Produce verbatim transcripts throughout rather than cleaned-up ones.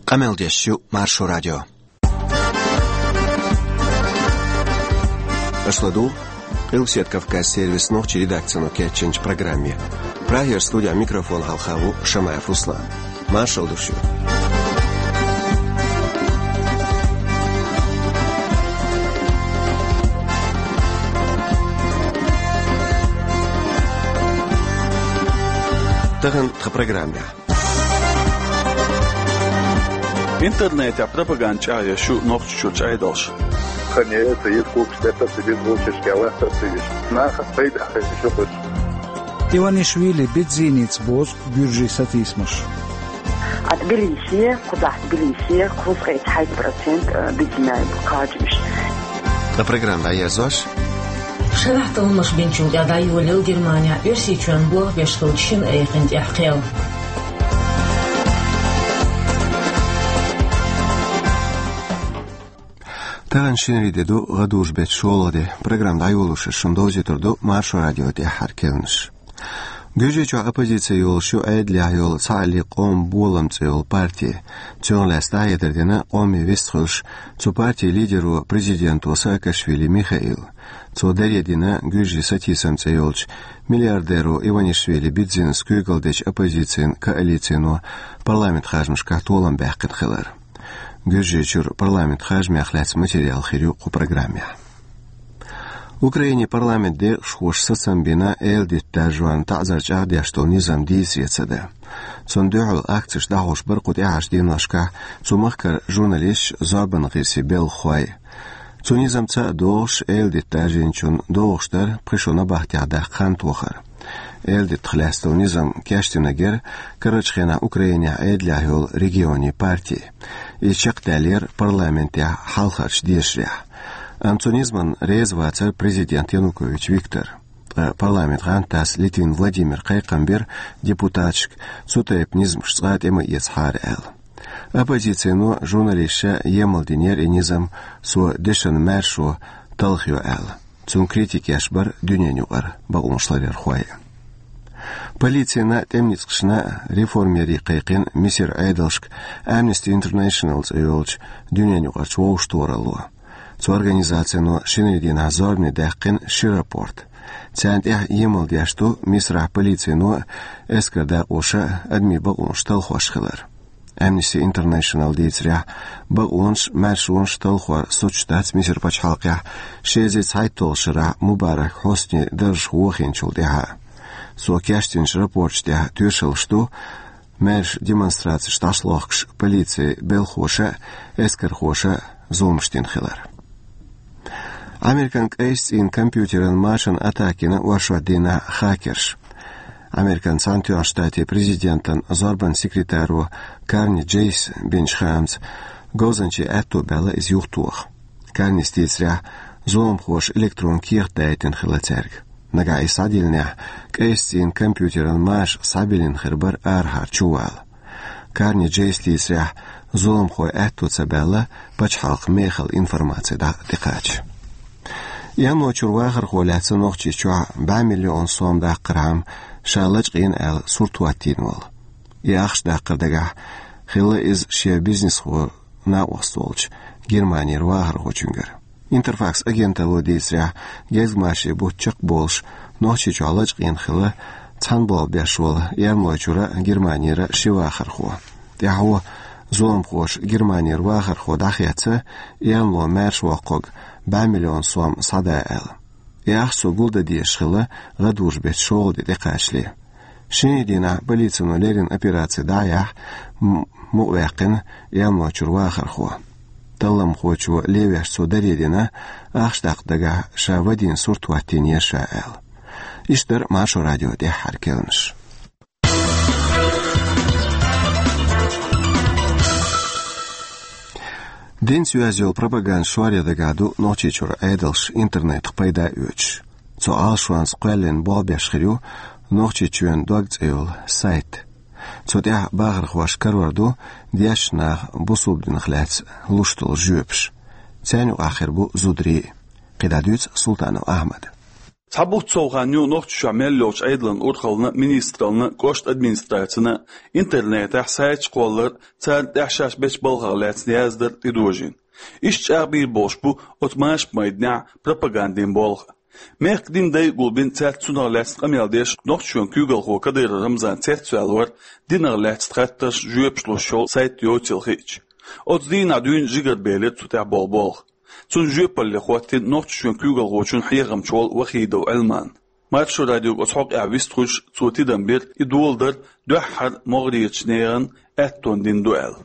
Къамел деш ю Маршо радио. Аша ладугӀу Къилбаседа Кавказан сервисан нохчийн редакцино кечйинчу программе. Прагера студехь микрофон хьалха ву Шамаев Руслан. Маршалла ду шуьга. Тахана тхан программехь. Интернетехь пропаганда чӀагӀъеш ю Нохчийчуьрчу Ӏедалша. Ханеца еза кукаш тӀе тасабиз, вовшашка лаьтта тасабиз. Нахана пайда хезаш ю кхуьш. Иванишвили бедзийница бозу гуьржийн сатийсамаш. А Тбилисе, кхузахь Тбилисе, кхузткъе цхьайтта процент, э, бедзинай бу кхачамаш. Ткъа программа дӀаерзош. Шарахь талламаш бинчул тӀаьхьа дӀайолаелла Германехь Оьрсийчоьнна болх беш долчу шина айхина тӀехь кхел. Тахана шинарин де ду, гӀадужу беттан шолгӀа де. Программа дӀайолош шуна довзуьйтур ду Маршо радион тӀаьххьара керланаш. Гуьржийчохь оппозици йолуш ю Ӏедалехь йолу «Цхьааллин къоман болам» цӀе йолу парти. Цунах лаьцна дӀахьедар дина къоме вист хуьлуш цу партин лидеро, президенто Саакашвили Михаила. Цо даре дина гуьржийн сатийсам цӀе йолчу миллиардеро Иванишвили бедзинас куьйгалла дечу оппозицин коалицино парламентан харжамашкахь толам баьккхина хилар. Гуьржийчуьра парламентан харжамех лаьцна материал хир ю кху программехь. Украинин парламентан декъашхоша сацам бина эладитанан даржорна таӀзар чӀагӀдеш долу низам дийцаре ца дан. Цунна дуьхьал акцеш дӀахьош бара кху тӀаьхьарчу деношкахь цу махкара журналисташ, зорбанан гӀирсийн белхахой. Цу низамца а догӀуш, эладита даржийначунна догӀуш дара пхи шо набахтехь даккха хан тохар. Эладитах лаьцна долу низам кечдинарг яра карарчу хенахь Украинехь Ӏедалехь йолу регионийн парти. Иза чекхдаьллера парламентехь хьалхарчу дешарехь. Амма цу низамна реза вацара президент Янукович Виктор. Ткъа парламентан гӀантдас Литвин Владимира кхайкхам бира депутаташка, цу тайпа низамаш цкъа тӀе ма эцахьара аьлла. Оппозицино журналисташа емал динера и низам, цо дешан маьршо талхайо аьлла. Цунна критика еш бара дуьненаюкъара бакъонаш ларъярхой. Полицина, тӀеман ницкъашна, реформерийн кхайкхина Мисар Ӏедалшка Amnesty International цӀе йолчу дуьненаюкъарчу вовшахтохаралло. Цу организацино шинарин дийнахь зорбане даьккхина ши рапорт. Царна тӀехь емал деш ду Мисарахь полицино а, эскаран дакъоша а адамийн бакъонаш талхош хилар. Amnesty International дийцарехь, бакъонаш, маьршонаш талхор соцуш дац Мисар пачхьалкхехь ши эзар цхьайтталгӀачу шарахь Мубарак Хьуснин даржах вохийначул тӀаьхьа. Цо кечдинчу рапорташ тӀехь тоьшаллаш ду, маьрша демонстрацеш дӀасалохкуш полицин белхахоша а, эскархоша а зуламаш дина хилар. Американ кӀайсцӀийнан компьютеран машина атака йина оршот дийнахь хакерша. Американ Цхьаьнатоьхначу Штатийн президентан зорбанан секретаро Карни Джейса бинчу хаамца, говзанчийн аьтто баьлла иза юхатоха. Карнис дийцарехь, зуламхоша электрон кехат даийтина хилла цаьрга. Нагахь и схьадиллинехь, кӀайсцӀийнан компьютеран маша схьабиллина хир бара арахьара чувала. Карни Джейса дийцарехь, зуламхойн аьтто ца баьлла пачхьалкхан мехала информаци дӀа-, тӀекхача. Янлочуьра вахархо лаьцна Нохчийчохь бӀе миллион сом даккхархьама ша лачкъийна аьлла сурт хӀоттийна волу. И ахча даккхар дагахь хилла иза шен бизнесхо накъост волчу Германера вахархочуьнгара. Интерфакс агенталло дийцарехь, гезгмашин бутт чекхболуш, Нохчийчохь лачкъийна хилла цхьана болх беш волу Янлочуьра, Германера ши вахархо. ТӀаьхьо зуламхоша Германера вахархо дӀахецна, Янло маьрша воккхург бӀе миллион сом схьадан аьлла. И ахча цо гулдан дезаш хилла гӀадужу беттан шолгӀа де тӀекхачале. Шинарин дийнахь полицино леррина операци дӀа а яьхьна, м-, мукъаваьккхина Янлочуьра вахархо. Талламхочо левеш цо даре дина, ахча даккха дагахь ша вадийна сурт хӀоттийнера ша аьлла. Иштта дара Маршо радион тӀаьххьара керланаш. Динца йоьзна йолу пропаганда шоръян дагахь ду Нохчийчуьра Ӏедалша интернетах пайда оьцуш. Цу Ӏалашонца кхоьллина болх беш хир ю «Нохчийчоьнан дог» цӀе йолу сайт. Цу тӀехь бахархошна карор ду дешначу наха бусалба динах лаьцна луш долу жоьпаш. Царна юкъахь хир бу зударий а. КхидӀа дуьйцу Султанов Ахьмада. Цхьа бутт сов хан ю Нохчийчохь мел йолчу Ӏедалан урхална, министрална, кӀоштан администрацина интернетехь сайташ кхоллар, царна тӀехь шаьш бечу балхах лаьцна яздар тӀедожийна. Иштта чӀагӀбийр болуш бу оцу машамайданехь пропагандин болх. Мехкан дин дайгулбина цаьрца цунах лаьцна къамел деш Нохчийчоьнан куьйгалхо Кадыров Рамзан цецваьлла вара, динах лаьцна хаттарш, жоьпаш луш йолу сайт йоцийла хиъча. Оцу дийнахь дуьйна жигарбелира цу тӀехь болу болх. Цунна жоьпалле хӀоттийна Нохчийчоьнан куьйгалхочун хьехамча волу Вахидов Ӏилман. Маршо радиога оцу хьокъехь вистхуьлуш, цо тидам бира, и доладар дуьххьара могӀарерчу нехан аьттон дина ду аьлла.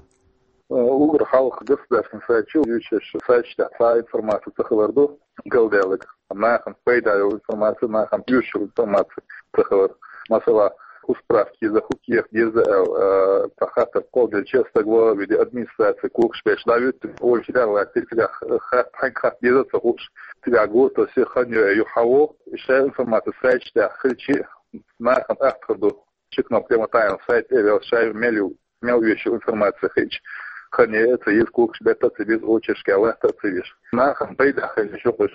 Уггар хьалха государственный сайт чу юьйцуш, сайташ тӀехь цхьа информаци ца хилар ду, галдаьлларг. Нахана пайда йолу информаци, нахана оьшуш йолу информаци ца хилар. Масала, хӀун справка еза, хӀун кехат еза аьлла, а, цхьа хаттар кхолладелча, стаг ваха а веъна, администраци когаш беш дӀавуьту, ойла чу даьлла, цигахь хатта, хьаьнга хатта деза а ца хууш, цигахь гуо тосий, хан йой, юха хьавогӀу, и шайн информаци сайташ тӀехь хилча, нахана атта хир ду. Чеканов Клементаевн сайт тӀе а ваьлла, шайн мел ю, мел оьшуш ю информаци хиъча, хан ян а ца еза, когаш бетта а ца беза, очередашкахь латта а ца веза. Нахана пайда хилла ю уьш.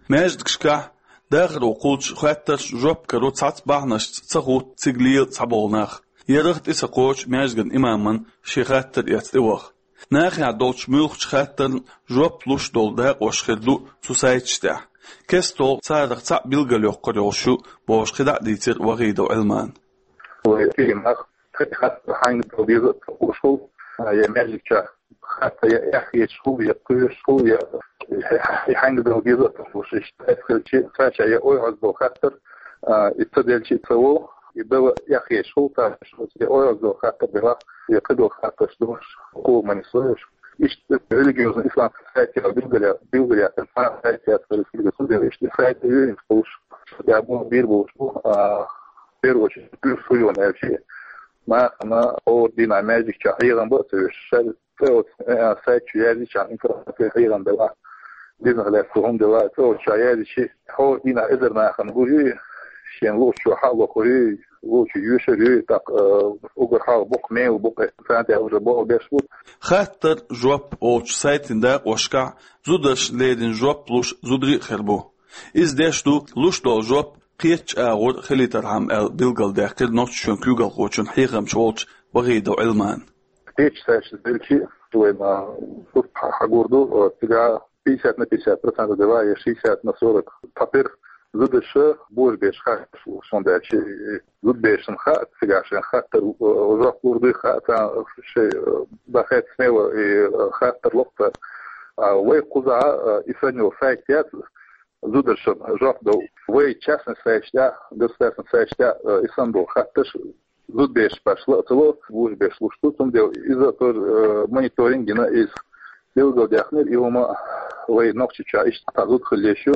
Маьждигашкахь дахаро кхуллучу хаттарш жоп каро цхьацца бахьанашца ца хӀутту цига лела цхьаболу нах. Ярах тӀе ца кхочу маьждиган имаман шен хаттар эцна тӀеваха. Нахехь долчу муьлххачу хаттарна жоп луш долу дакъош хир ду цу сайташ тӀехь. Кестта царах цхьаъ билгалйоккхур йолуш ю, бохуш, кхидӀа а дийцира Вахидов Ӏилмана. Вай кхин нах, кхин хаттар хьаьнга дала деза а ца хууш хуьлу, я маьждигчохь хатта я эхь езаш хуьлу, я кхоьруш хуьлу, я и хьаьнга дала деза а ца хууш, иштта хилча, цаьрца я ойхьаз долу хаттар, а, и ца делча а ца волу, и дала эхь езаш хуьлу, цаьрца я ойхьаз долу хаттар делахь, я кхидолу хаттарш долуш, хӀума ма нисло уьш. Иштта религиозный исламский сайт ял билгала-, билгалъяьккхина, цхьа сайт яц, иштта сайт а юьйцуш хуьлуш, я бу бийр болуш бу, а, в первую очередь, плюс хуьйон аьлча, нахана хӀора дийнахь маьждигчохь хьехам бан а ца веш, шаьш цӀе оцу, э, сайт чу яздича, информаци хьехам делахь, динах лаьцна хӀума делахь, цӀе оцу чохь яздича, хӀора дийнахь эзар нахана гур ю, шена луучо хьа а лохур ю, луучо йоьшур ю, тӀаккха, э, уггар хьалха боккха мела бу-кх, царна тӀехь уже болх беш бу. Хаттар, жоп олучу сайтийн дакъошкахь зударшна леррина жоп луш зударий а хир бу. Иза деш ду, луш долу жоп кхечу агӀор хилийтархьама аьлла билгалдаьккхира Нохчийчоьнан куьйгалхочун хьехамча волчу Вахидов Ӏилмана. Кхечу сайташца делча, вайна сурт хьа-, хьагур ду, цигахь пятьдесят на пятьдесят процентов дела, я шестьдесят на сорок. Цхьатерра зударша божабераш хатташ луш, хӀунда аьлча, э, зудаберашна хаьа, цигахь шайн хаттар, э, жоп лур дуй хаьа, царна шайн, э, дахаьтта смело и, э, хаттар ло-кх цара. А вай кхузахь, э, и санна йолу сайт яц, зударшна жоп дала. Вай частный сайташ тӀехь, государственный сайташ тӀехь, э, и санна долу хаттарш зудабераш башха ла а ца ло, божабераш луш ду, цундела иза тоже, э, мониторинг йина иза. Билгалдаьккхинера и хӀума, вай Нохчийчохь иштта цхьа зуда хила езаш ю,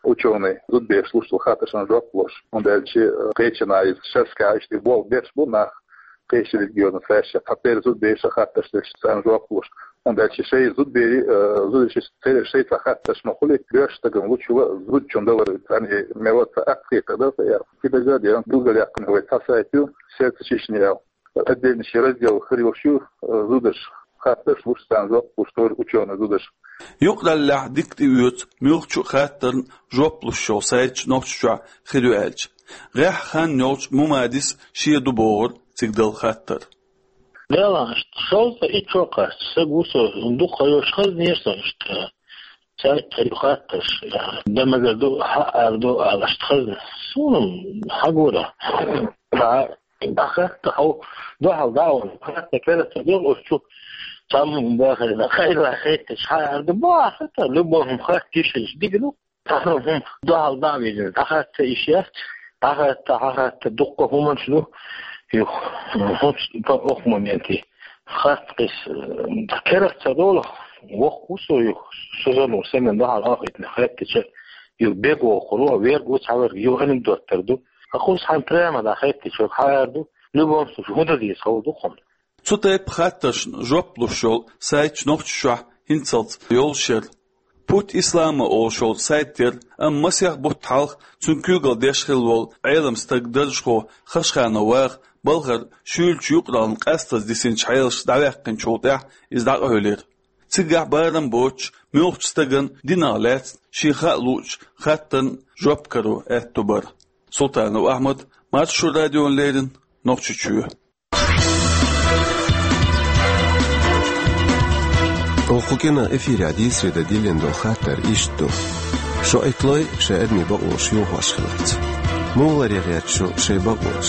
учёный, зудабераш луш долу хаттаршна жоп луш. ХӀунда аьлча, э, кхечанхьа иза шерашкахь иштта болх беш бу нах, кхечу религиозный сайташкахь, цхьатерра зудабераш хаттарш деш, царна жоп луш. ХӀунда аьлча шайн зудаберийн, э, зударшна церан шайн цхьа хаттарш ма хуьлий, боьрша стагана лучул а зудчун далар царна и мел а цхьа атта хетар дара, ца яра. Кхидерг а дера, билгалъяьккхина вай цхьа сайт ю, «Сердце Чечни» аьлла. Отдельный шен раздел хир йолуш ю, э, зударшна хаттарш луш, царна жоп луш, тоже учёный зударш. Юкъараллехь дика тӀеоьцу муьлххачу а хаттарна жоп луш йолу сайташ Нохчийчохь хир ю аьлча. ГӀеххьа хан йолчу Мумадис шен ду бохура цига дала хаттар. Делахь, шовзткъе итт шо кхаьчча, са гу со, дукха йолуш хазнера со иштта. Цаьрца ю хаттарш, дан мегар ду, хьаара ду ала иштта хазна. Суна хьагура. ДӀа, дӀахатта хьо, дуьхьал дӀа а вахана, хатта керта ца догӀу оцу чу. Цхьамма бахарна, хайла хетташ хьаара ду, боху хатта, любой хӀума хатта йиш йолуш дика ду. Цхьа хӀума дуьхьал дӀа а вижина, дӀахатта йиш яц, дӀахатта, дӀахатта, дуккха хӀуманаш ду. Юха, хӀунца, окху моменте. Хатта кхис, э, керта ца долу, воккха ву со юха, со зону семен дуьхьал ахийтина, хаттача, юха бегу воккхур ву, верг ву цхьаверг, юха анекдот тера ду. Ткъа кхуза хьайн прямо дӀахеттича, хьаара ду, любом случае, хӀун дан деза хала ду хьуна. Цу тайпа хаттаршна жоп луш йолу сайташ Нохчийчохь хӀинцалц йолуш яра. «Путь ислама» олуш йолу сайт яра, амма масех бутт хьалха цуьнан куьйгалла деш хилла волу Ӏелам стаг, даржхо Хашханов Ваха балхара шуьйлачу юкъараллина къаьстаза дисинчу хьелашца дӀаваьккхинчул тӀаьхьа иза дӀакъевлира. Цигахь барам боцуш, муьлххачу стагана динах лаьцна шен хаа луучу хаттарна жоп каро аьтто бара. Султанов Ахьмад, Маршо радиона леррина, Нохчийчоь. Оха кху кино эфирехь дийцаре дан диллина долу хаттар иштта ду. Шо Ӏитталой шайн адамийн бакъонаш йохош хиларца. Муха ларъян гӀерта шу шайн бакъонаш?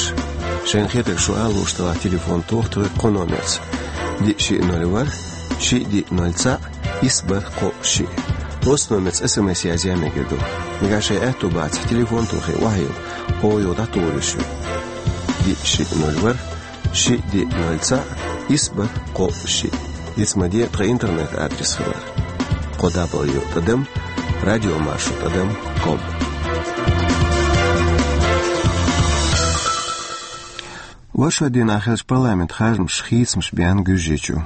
Шайна хетарг шу ала лууш делахь, телефон тоха тхоьга кху номерца: диъ шиъ ноль ворхӀ, шиъ диъ ноль цхьаъ, исс бархӀ кхоъ шиъ. Оцу номерца эс эм эс язъян мегар ду. Нагахь шайн аьтто бацахь, телефон тохий, охьайилла, оха юха дӀатухур ю шуьга. Диъ шиъ ноль ворхӀ, шиъ диъ ноль цхьаъ, исс бархӀ кхоъ шиъ. Диц ма де тхан интернет-адрес хилар: кхо дабл ю тӀадам радио маршо тӀадам ком. Вай шо дийнахь хиллачу парламентан харжамаша хийцамаш беана Гуьржийчу.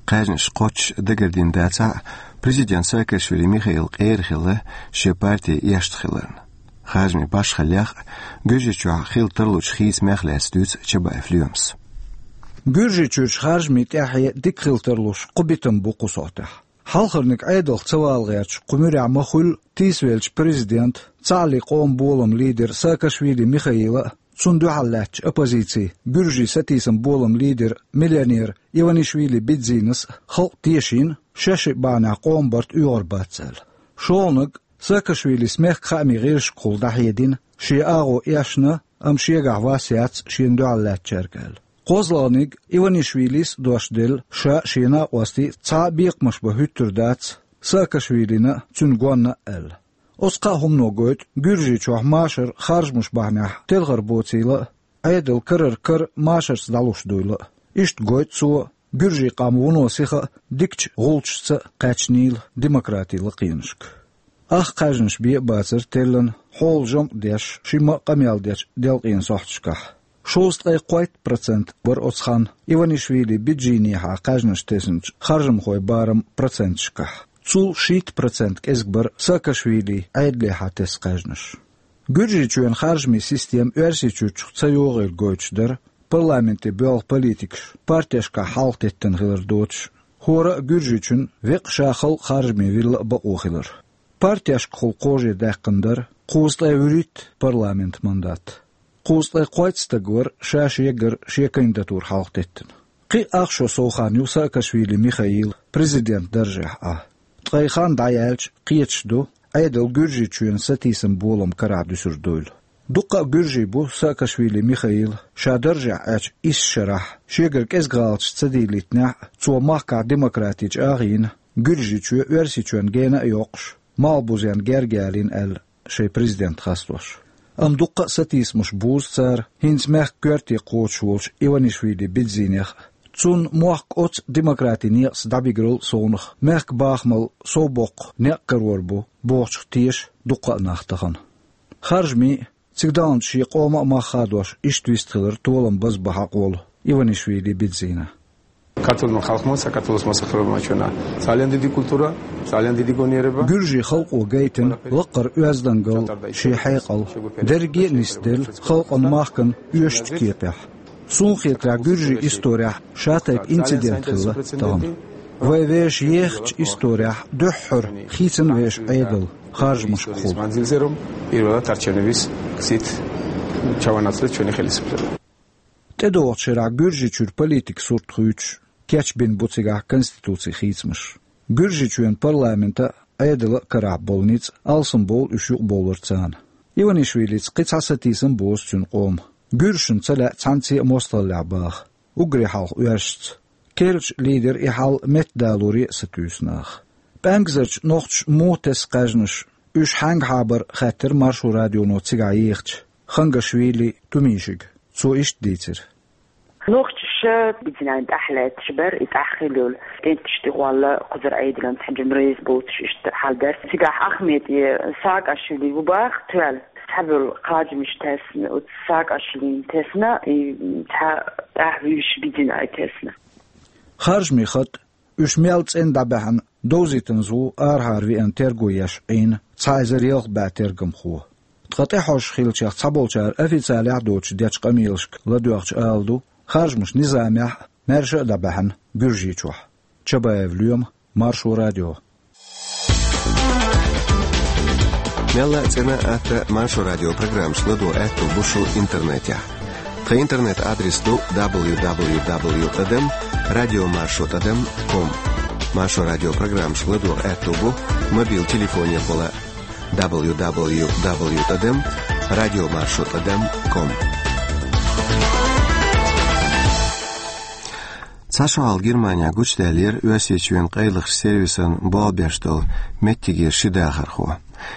Кхаьжнаш кхоччуш дагардина дацахь а, президент Саакашвили Михаил къера хилла шен парти эшна хиларна. Харжамийн башхаллех а, Гуьржийчохь хилла тарлучу хийцамех а лаьцна дуьйцу Чабаев Лоьмас. Гуьржийчуьрчу харжамийн тӀаьхье дика хилла тарлуш кху битам бу кху сохьтехь. Хьалхарниг Ӏедалх ца вала гӀерташ кху муьрехь ма-хуьллу тийсавеллачу президентан, цхьааллин къоман боламан лидеран Саакашвили Михаилан а, цунна дуьхьал лаьттачу оппозицин, гуьржийн сатийсам боламан лидеран, миллионеран Иванишвили Бидзинас а халкъ тешийна, шаьшшиъ бахьанехь къоман барт оьгӀар бац аьлла. ШолгӀаниг Саакашвилис мехкан хаамийн гӀирсашкахула дӀахьедина, шен агӀо эшна, амма шегахь вас яц шена дуьхьал лаьттачаьрга аьлла. КхозлагӀниг Иванишвилис а дош делла, ша а, шен накъостий а цхьа а бекхамаш бан хӀуьттур дац Саакашвилина а, цуьнан гонна а аьлла. Оцу кхаа хӀумано гойту Гуьржийчохь машар харжамаш бахьанехь телхар боцийла а, Ӏедал карара кара машарца дӀалуш дуйла а. Иштта гойту цо гуьржийн къам вуно сиха а, дикачу гӀулчашца а кхаьчнийла демократин лакхенашка. Ах кхаьжнаш бен а бацара теллина хьолан жамӀ деш, шимма а къамел дечу делкъенан сохьташкахь. Шовзткъе кхойтта процент бара оцу ханна Иванишвили Биджинехьа кхаьжнаш тесначу харжамхойн барам проценташкахь. Цул шийтта процент кӀезиг бара Саакашвили Ӏедалехьа тесна кхаьжнаш. Гуьржийчоьнан харжамийн система Оьрсийчуьрчух ца йогӀийла гойтуш дара парламенте боьлху политикаш партешкахь хьалхатеттина хилар доцуш, хӀора а Гуьржийчун веккъа ша халкъ харжаме вилла а бакъо хилар. Партешкахула кхаже даьккхина дара кхузткъе вуьрхӀитта парламентан мандат. Кхузткъе кхойтта стаг вара ша-шегара шен кандидатура хьалхатеттина. Кхин а ах шо сов хан ю Саакашвили Михаила президентан даржехь Ӏа. Ткъе хан дӀаяьлча, кхеташ ду, Ӏедал Гуьржийчоьнан сатийсам болам карахь дуьсур дуйла. Дуккха а гуьржий бу Саакашвили Михаила ша даржехь Ӏечу исс шарахь, шегара кӀезиг гӀалаташ ца дийлийтинехь а, цо махкахь демократи чӀагӀйина, Гуьржийчоь Оьрсийчоьнна гена а йоккхуш, малхбузенна герга ялийна аьлла, шайн президент хастош. Амма дуккха а сатийсамаш бузу цара хӀинца мехкан коьрте кхочуш волчу Иванишвили Бидзинех а. Цунна мохк оцу демократин некъаца дӀабиграл совнах, мехкан бахамал совбоккху некъ карор бу бохучух теша дуккха а нах тахана. Харжамийн а, цига далначу шен къоман а мах хадош иштта вистхилар толам базбан хьакъ волу Иванишвили Бидзина. Საქართველოს ხალხმა, საქართველოს მოსახლეობამ აჩვენა ძალიან დიდი კულტურა, ძალიან დიდი გონიერება. Гуьржийн халкъо гайтина лаккхара оьздангалла, шен хьекъал, дерриге а нисделла халкъан, махкан оьшучу кепехь. Суна хетарехь, гуьржийн исторехь шатайпа инцидент хилла тахана. Вай вешан ехачу исторехь дуьххьара хийцина вешан Ӏедал харжамашкахула. Манзилзером პირველად არჩევნების გზით ჩავანაცვლეთ ჩვენი ხელისუფლება. ТӀедогӀучу шарахь Гуьржийчуьра политикан сурт хуьйцуш, кечбина бу цигахь конституцин хийцамаш. Гуьржийчоьнан парламентан а, Ӏедалан а карахь болу ницкъ алсамбовлу уьш юкъабовлар царна. Иванишвилица кхин цхьа сатийсам бозу цуьнан къоман. Гуьржашна ца лаьа цхьаьнцце а мостагӀаллехь баха, уггаре хьалха оьрсашца. Керлачу лидера и хьал меттадалоре а сатуьйсу наха. ПӀаьнгазарчу нохчаша муха тесна кхаьжнаш, уьш хьаьнгахьа бара хаьттира Маршо радионо цигахь ехачу Хангашвили Тумишига. Цо иштта дийцира. Нохчаша Бидзинан тӀаьхьа лаьтташ бара, и тӀаьхьа хилла йолу кӀенташ тӀехвалла кхузара Ӏедалан цхьа жимрейс боцуш иштта хьал дара. Цигахь Ахмед, и Саакашвили ву баха тоьлла, цхьаболу кхаьжнаш тесна, оцу Саакашвилина тесна, и цхьа тӀаьхьа вуьйш Бидзинан тесна. Харжамийн хатӀ, уьш мел цӀена дӀабаьхьна, довзийтинза ву арахьара веана терго еш Ӏийна цхьа эзар ялх бӀе тергамхо. Ткъа тӀехьожуш хиллачех цхьаболчара официалехь а доцуш дечу къамелашка ладоьгӀча ала ду, харжамаш низамехь а, маьрша а дӀабаьхьна Гуьржийчохь. Чабаев Лоьма, Маршо радио. Мелла а цӀена а, атта Маршо радион программашка ладогӀа аьттув бу шун интернетехь. Тхан интернет-адрес ду дабл ю дабл ю дабл ю тӀадам радио маршо тӀадам ком. Маршо радион программашка ладогӀа аьттув бу мобил телефонехула дабл ю дабл ю дабл ю тӀадам радио маршо тӀадам ком. Цхьа шо хьалха Германехь гучудаьллера Оьрсийчоьнан къайлахчу сервисан болх беш долу меттигера ши дахархо.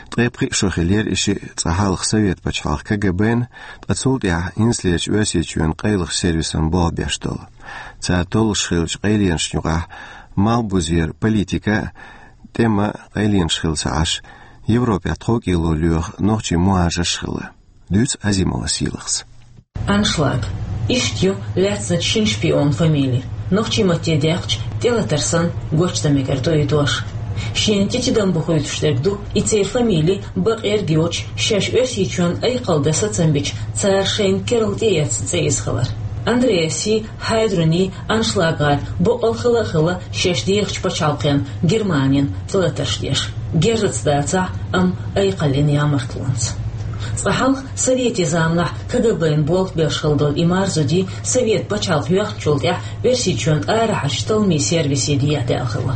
Ткъе пхиъ шо хиллера и шиъ, цкъа хьалха Совет пачхьалкхан КГБ-н, ткъа цул тӀаьхьа хӀинцалерчу Оьрсийчоьнан къайлахчу сервисан болх беш долу. Цара толлуш хиллачу къайленашна юкъахь малхбузера политика а, тӀеман а къайленаш хилла ца Ӏаш, Европехь тховкӀело лоьху нохчийн мухӀажарш а хилла. Дуьйцу Азимова Сийлахьас. Аншлаг. Иштта ю лаьцначу шина шпионан фамили. Нохчийн матте даьккхича, тӀелатар санна, гочдан мегар ду и дош. Шена тӀе тидам бохуьйтуш дерг ду и церан фамили бакъ-ерг йоцуш, шаьш Оьрсийчоьнна айкхалла дан сацам бича, цара шайна керла тӀеэцна цӀе иза хилар. Андреаси, Хайдруни, аншлаггӀара боккъал хила а хилла шаьш дехачу пачхьалкхенна, Германина, тӀелатарш деш. Герзаца дацахь, амма айкхаллин ямартлонца. Цкъа хьалха, советийн заманахь КГБ-н болх беш хилла долу и марзо дий, Совет пачхьалкх йоьхначул тӀаьхьа Оьрсийчоьнан арахьарчу талламийн сервисе дехьадаьлла хилла.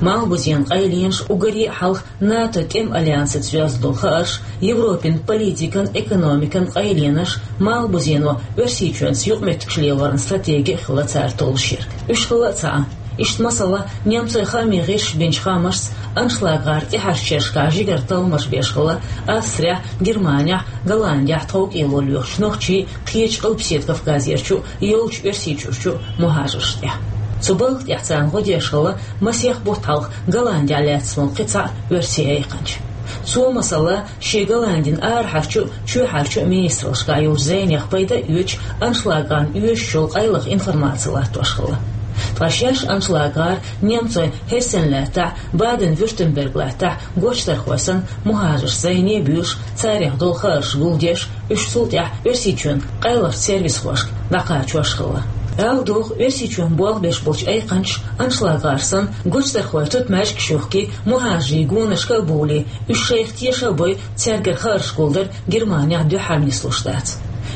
Малхбузенан къайленаш, уггаре а хьалха НАТО тӀеман альянсаца йоьзна долу хаарш, Европин политикан, экономикан къайленаш, малхбузено Оьрсийчоьнца юкъаметтигаш лелоран стратеги а хилла цара толлуш ерг. Уьш хилла а ца Ӏа. Иштта, масала, немцойн хаамийн гӀирсаша бинчу хаамашца, аншлаггӀара тӀаьхьарчу шерашкахь жигара талламаш беш хилла Австрехь, Германехь, Голландехь тховкӀело лоьхучу нохчийн, кхечу Къилбаседа Кавказерчу, йолчу Оьрсийчуьрчу мухӀажаршна тӀехь. Цу балха тӀехь царна гӀо деш хилла масех бутт хьалха Голландехь лаьцна волу кхин цхьа оьрсийн айкханча. Цо, масала, шен Голландин арахьарчу, чоьхьарчу министраллашкахь йолчу зӀенех пайда а оьцуш, аншлаггӀарна оьшуш йолу къайлаха информаци латтош хилла. Ткъа шаьш аншлаггӀара немцойн Хессен лаьттахь, Баден-Вюртемберг лаьттахь гочдархой санна, мухӀажарш зӀене а буьйлуш, царех долу хаарш гулдеш, уьш цул тӀаьхьа Оьрсийчоьнан къайлахчу сервисхошка дӀакхачош хилла. Ала догӀу, Оьрсийчоьнан болх беш болчу айкханчаша аншлаггӀар санна, гочдархойн тутмаьжгаш а юхкий, мухӀажарийн гонашка а бовлий, уьш шайх теша а бой, цаьргара хаарш гулдар Германехь дуьххьара нислуш дац.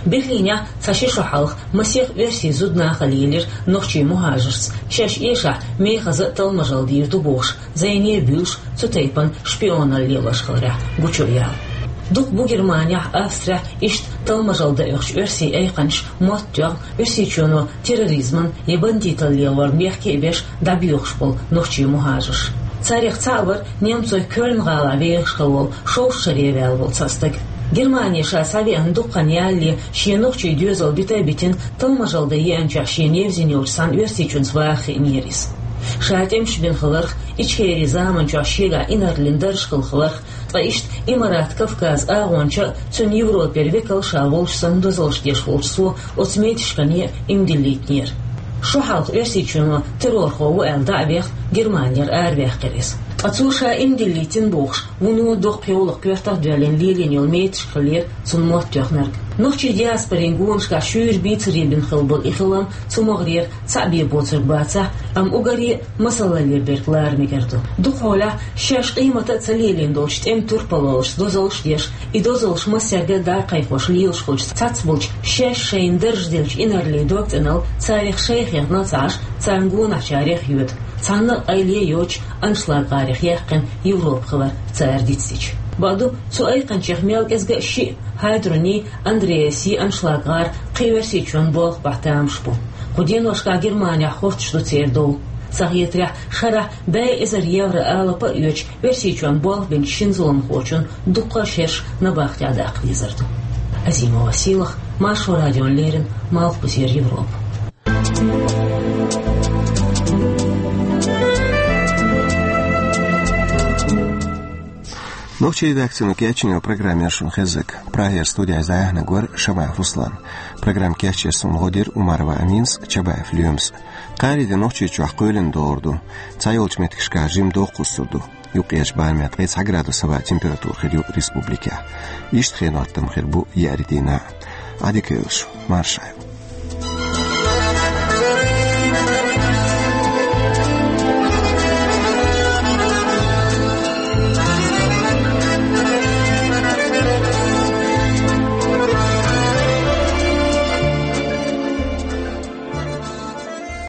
Берлинехь цхьа ши шо хьалха масех оьрсийн зуда нах а лелира нохчийн мухӀажаршца, шаьш эшахь мехаза а талламаш дийр ду бохуш, зӀене а буьйлуш, цу тайпана шпионалла лелош хиларехь гучуяла. Дукха бу Германехь, Австрехь иштта талламаш дан оьхучу оьрсийн айкханчаша мотт тоьхна Оьрсийчоьно терроризман я бандиталла лелорна бехке а беш дӀабоьхуш болу нохчийн мухӀажарш. Царех цхьаъ вара немцойн Кёльн гӀалахь вехаш хилла волу, шовзткъа шаре ваьлла волу цхьа стаг. Германе ша схьавеана дукха хан ялале, шен нохчийн доьзал бита а битина, талламаш дан еанчохь шена евзина йолчу цхьана оьрсичунца ваха хиънера иза. Ша тӀемаш бина хиларх, Ичкерин заманчохь шегахь инарлина дарж хилла хиларх, ткъа иштта Имарат Кавказ агӀонча а, цуьнан Европера векал а ша волуш санна дозаллаш деш волчу цо оцу меташкане а иман диллийтинера. Шо хьалха Оьрсийчоьно террорхо ву аьлла дӀа а вехна, Германера араваьккхира иза. Ткъа цо ша иман диллийтина бохуш, вуно доккха йовлакх коьртах а доьллина лелийна йолу меташка хиллера цунна мотт тоьхнарг. Нохчийн диаспорин гонашкахь шуьйра бийцаре бина хилла болу и хилам цу могӀарера цхьаъ бен боцург бацахь, амма уггаре а масаллале берг лара мегар ду. Дукхахьолахь шаьш къемата а ца лелийна долчу тӀеман турпалхошца дозаллаш а деш, и дозаллаш массаьрга а дӀакхайкхош лелаш хуьлуш цхьацца болчу, шаьш шайна дарж деллачу инарлийн дог цӀеналла царех шайх хетта а ца Ӏаш, царна гонахьчарех а йоьду. Цхьанна а къайле а йоцуш, аншлаггӀарех яьккхина Европа хилар цара дицдича. Бакъду, цу айкханчех мел кӀезга а шиъ, Хайдруни, Андреаси аншлаггӀара кхин Оьрсийчоьнан болх бахьа тамаш бу. Кху деношкахь Германехь хӀотташ ду церан дов. Ца хетарехь, шарахь бӀе эзар евро алапа а оьцуш, Оьрсийчоьнна болх бинчу шина зуламхочун дуккха а шераш набахтехь даккха дезар ду. Азимова Сийлахь, Маршо радиона леррина, Малхбузера Европа. Нохчийн редакцино кечйина программа яра шуна хезнарг. Прагера студехь иза дӀаяьхьнарг вара Шамаев Руслан. Программа кечъеш суна гӀо дира Умарова Аминас, Чабаев Лоьмас. Кхаарин де Нохчийчохь кхоьлина догӀур ду. Цхьайолчу меттигашкахь жимма доккха хӀусур ду. Юккъерчу барамехь ткъе цхьа градус хӀаваан температура хир ю республикехь. Иштта хенан хӀоттам хир бу еарин дийнахь. Ӏадика йойла шу, марша Ӏойла.